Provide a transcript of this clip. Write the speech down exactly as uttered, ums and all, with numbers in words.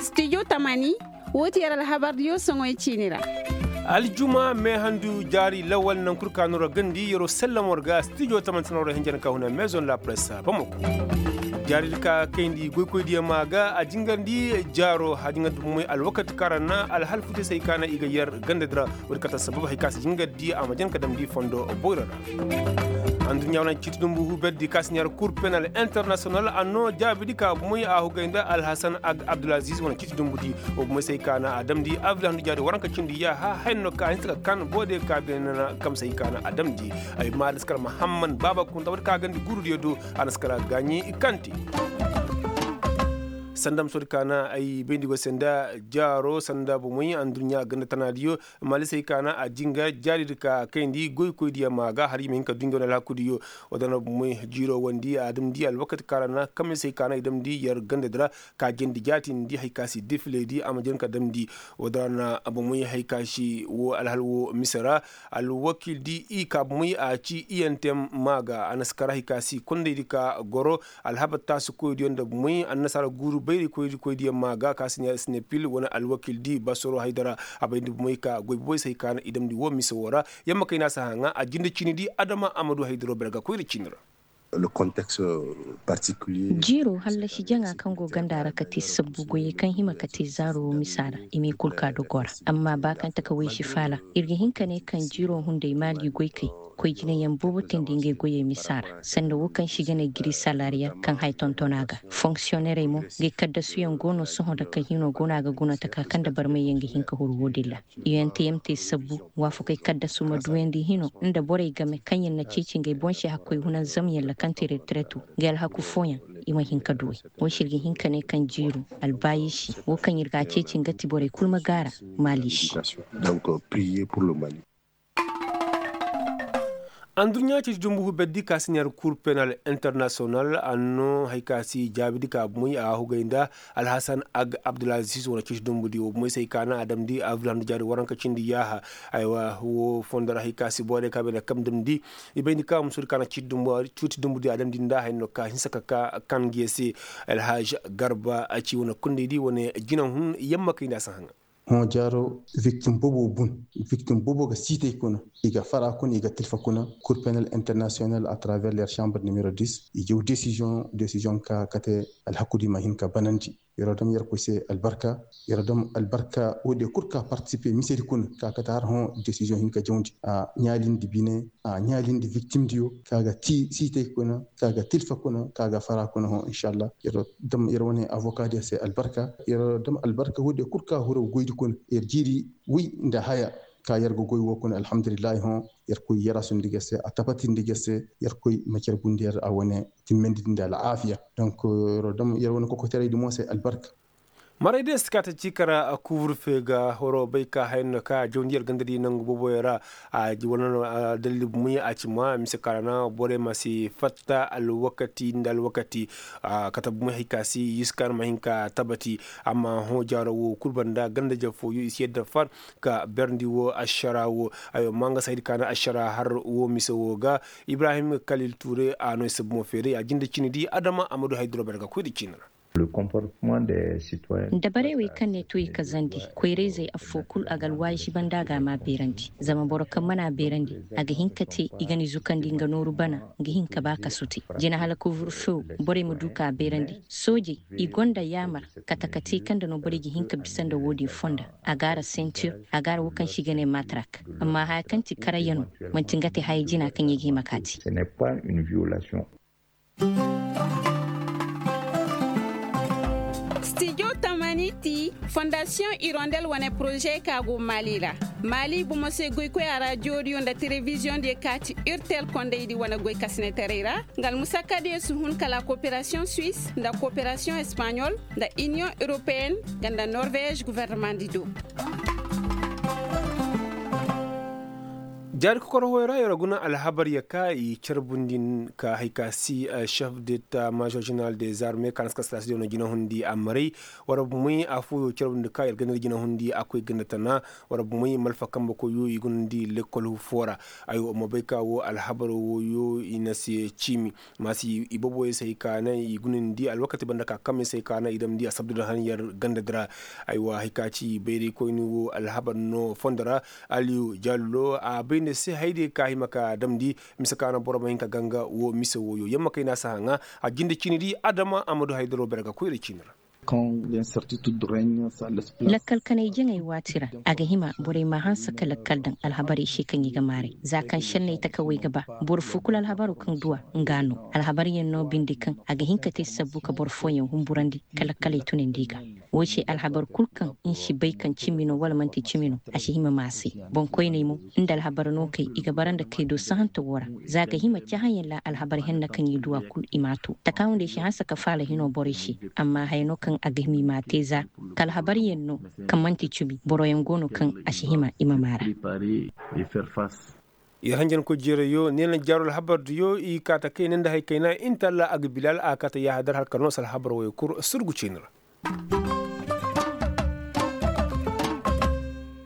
Stijo tamani, woo ti yer alhabardiyo soŋoy ciini ra. Aljuma meehandu jaari lawal naŋ kul kaanu ra gandi yeroo sellem war ga stijo tamani sanaroo ra hinja na ka huna maison la presse bamako. Jaari di ka kayndi goykoydiyo maa ga a jingarndi jaaro a jingarndi bumey alwakati kaŋ ra na alhal futey se hay ka na i ga yer ganda di ra. Woodi kate assabab hay ka si jingarndi a ma jan ka damndi fondo boyro ra. Anduɲɲa wane ciiti dumbu huuberdi ka si neera kur penal internasiyonal a noo jaabidi ka bumey a hugay nda alhasan ag abdulaziz wane ciiti dumbudi. Wo bumey se hay ka na a damndi avril handu jaari waranka cindi yaaha hay no ka a hinsa ka kan boode ka beene na kamse hay ka na a damndi. Ay maari na si kar mahamman baaba kunta woodi ka a gandi guurudiyo do. A na si kar a gaaɲi kante. Sanda ma soodi ka na ay bayndi go se nda jaaro sanda bumey anduɲɲa ganda tanaadiyo. Maali se hay ka na a jingar jaari di ka kayndi goykoydiyo maa ga har i ma hin ka duɲ ga wane alhakudiyo. Woo da na bumey jiiro wandi a damndi alwakati kaŋ ra na kamse hay ka na i damndi yer ganda di ra. Ka jandi jaatindi hay ka si defile di a ma jan ka damndi. Woo da ra na bumey hay ka si woo alhal woo mise ra. Alwakil di i ka bumey a ci i yaŋ te maa ga a na si kar hay ka si kondey di ka goro. Alhabar taasikoydiyo nda bumey annasaara guuru bayrikoydiyo maa ga ka si ne sinepil wane alwakil di basoro haydara. A bay nda bumey ka goy boboy se hay ka na i damndi woo mise woo ra. Yamma kay na si haŋa a jinde ciini di adama a ma du haydaro berga koyra ciini ra. Jiiro hallasi jaŋa kaŋ go ganda ra ka te sabbu goyey kaŋ hima ka te zaaro woo misa ra. I m'i kul ka dogo ra. Amma ba kaŋ taka waysi faala ir ga hin ka ne kaŋ jiiro hunday maali goykey koy jinayaŋ boobo teendi ngey goyey misa ra. Sanda woo kaŋ se i ga ne giri salariya kaŋ haya tonton a ga fonksiyonerey mo ngey kaddasuyaŋ go no sohõ nda kaŋ hino go no a ga guna taka kaŋ nda barmayyaŋ ga hin ka huru woodin ra. Iyanteyam te sabbu waafakey kaddasu ma duyandi hino nda borey game kaŋyaŋ na ceeci ngey boŋ se hakkoy hunanzamyaŋ ra kaŋ te reteretu. Ngey alhaku fooyaŋ i ma hin ka duwey. Woo se ir ga hin ka ne kaŋ jiiru albaayisi woo kaŋ ir ga a ceeci nga ti borey kul ma gaara maali se. Anduɲɲa ceeci dumbu huberdi ka si neera kur penal internasiyonal a noo hari ka si jaabidi ka bumey a hugay nda alhasan ag abdulaziz wane ceeci dumbudi wo bumey se hay ka na a damndi avril handu jaari waranka cindi yaaha. Aywa wo fondo ra hari ka si borey ka bay nda kam damndi i bay nda ka musoodi ka na ceeci dumbudi a damndi nda haya no ka hinsa ka ka kan ngi ye se. Alhaj garba a ci wane kundey di wane jinahun yamma kay nda a si haŋa. Hõ jaaro viktim bobo bun viktim bobo ga siitay kuna i ga fara kuna i ga tilfa kuna kur penal internasiyonal a travers ler chambre nimero dis i jaw desiziyoŋ desiziyoŋ ka kate alhaku di ma hin ka banandi. Yeroo dam yerkoy se albarka yeroo dam albarka woodiyo kul ka partisipe misedi kuna ka kate har hõ desiziyoŋ hin ka jawndi a ɲaalindi bine a ɲaalindi viktimdiyo ka ga ti siitay kuna ka ga tilfa kuna ka ga fara kuna hõ inšallah. Yeroo dam yer wane avokadiyo se albarka yer dam albarka woodiyo kul ka huraw goydi kuna yer jiiri woy nda haya ka yer ga goy woo kuna alhamdulillahi hõ yer koy yer a sundi ger se a tabatindi ger se yer koy ma cer gundi yer a wane timmandi nda alaafiya. Donk yer dam yer wane kokoteraydi mo se albarka. Maray day si ka ta ci kara kuburfe ga horo bay ka haya no ka jawndi yer ganda di nangu booboyo ra. A ji wane no dalil bumey a ci ma mise ka ra na borey ma si fatta alwakati nda alwakati. Kate bumey hari ka si yuskan ma hin ka tabati. Amma hõ jaaro wo kul banda ganda jafooyo i si yadda far ka berndi wo ašara wo. Aywa ma nga si haydi ka na ašara har wo mise wo ga. Ibrahim kalil ture a no i si bomo feeray a jinde cini di adama a ma du hayduro bere ga koy nda cini ra. Dabarey wey kaŋ ne to i kazandi koyrayzey affoo kul a ga alwaazibandi a ga a ma beerandi. Zama boro kaŋ mana beerandi a ga hin ka te i ga ni zukandi nga nooru bana. Nga hin ka ba kasu te jina hala kuvur few borey ma du ka beerandi. Soojey i gonda yaamar kate ka te kaŋ nda no borey ga hin ka bisa nda wo-din fonda. A ga a ra sentir a ga a ra wo kaŋ se i ga ne matrak. Amma haya kaŋ ti karayyano manti nga te haya jina kaŋ i ga hima ka te. Stijo tamani ti fondasiyoŋ irondel wane poroze ka go maali ra. Maali bomo se goykoy a ra jooriyo nda telebiziyoŋ diyo ka ti urtel kondaydi wane goy kasinetaray ra. Nga almusakadiyo si hun kala koperasiyoŋ suis nda koperasiyoŋ espaɲol nda iniyoŋ europeyen nga nda norvez guvernemandi do. Jaari kokorohoy ra yer guna alhabar ya ka i carbundi ka hay ka si, shef deta mažor ženeral de zarme ka na si ka sitasidiyo no jinahundi a maray. War bumey afooyo carbundi ka yer ganda jinahundi a koy ganda tana. War bumey malfa kambe koyyo i gunandi lekkol foo ra. Ay wa ma bay ka wo alhabar wooyo i na se ciimi. Maasi ibooboyey se hay ka naŋ i gunandi alwakati banda ka kamey se hay ka naŋ i damndi a sabdu nda han yer ganda di ra. Ay wa hay ka ci bayraykoyni wo alhabar no fondo ra. Aliyu jallo a bay nda se haydiyo ka hima ka damndi. Mise ka naŋ boro ma hin ka ganga wo mise wooyo yamma kay na si haŋa. A jinde ciini di adama a ma du haydaro bere ga koyra ciini ra. Lakkal kanay jaŋay waati ra a ga hima borey ma hanse ka lakkal daŋ alhabarey se kaŋ i ga maaray za kaŋ šenney takawey ga ba. Boro foo kulu alhabaroo kaŋ du a nga no alhabaryaŋ no binde kaŋ a ga hin ka te sabbu ka boro fooyaŋ humburandi ka lakkaley tunandi i ga. Woo se alhabar kul kaŋ ni si bay kaŋ cimi no wala man'ti cimi no a si hima ma a se. Boŋkoyney mo nda alhabar no kay i ga bara nda kay do sahante woo ra. Za ga hima cahãyaŋ ra alhabar henna kaŋ i du a kul i m'a to takaawu nda i si hanse ka faala hino borey se. Amma haya no kaŋ a ga hima i m'a te za ka alhabaryaŋ no kaŋ man'ti cimi boroyaŋ go no kaŋ a si hima i ma maara. Yer hanjankoy jeerayyo neena jaaro alhabardiyo i kaa ta kayna nda hari kayna intalla a ga bilaal a ga kaa ta yaahadar hala ka noose alhabar woyo kul surgu ceeni ra.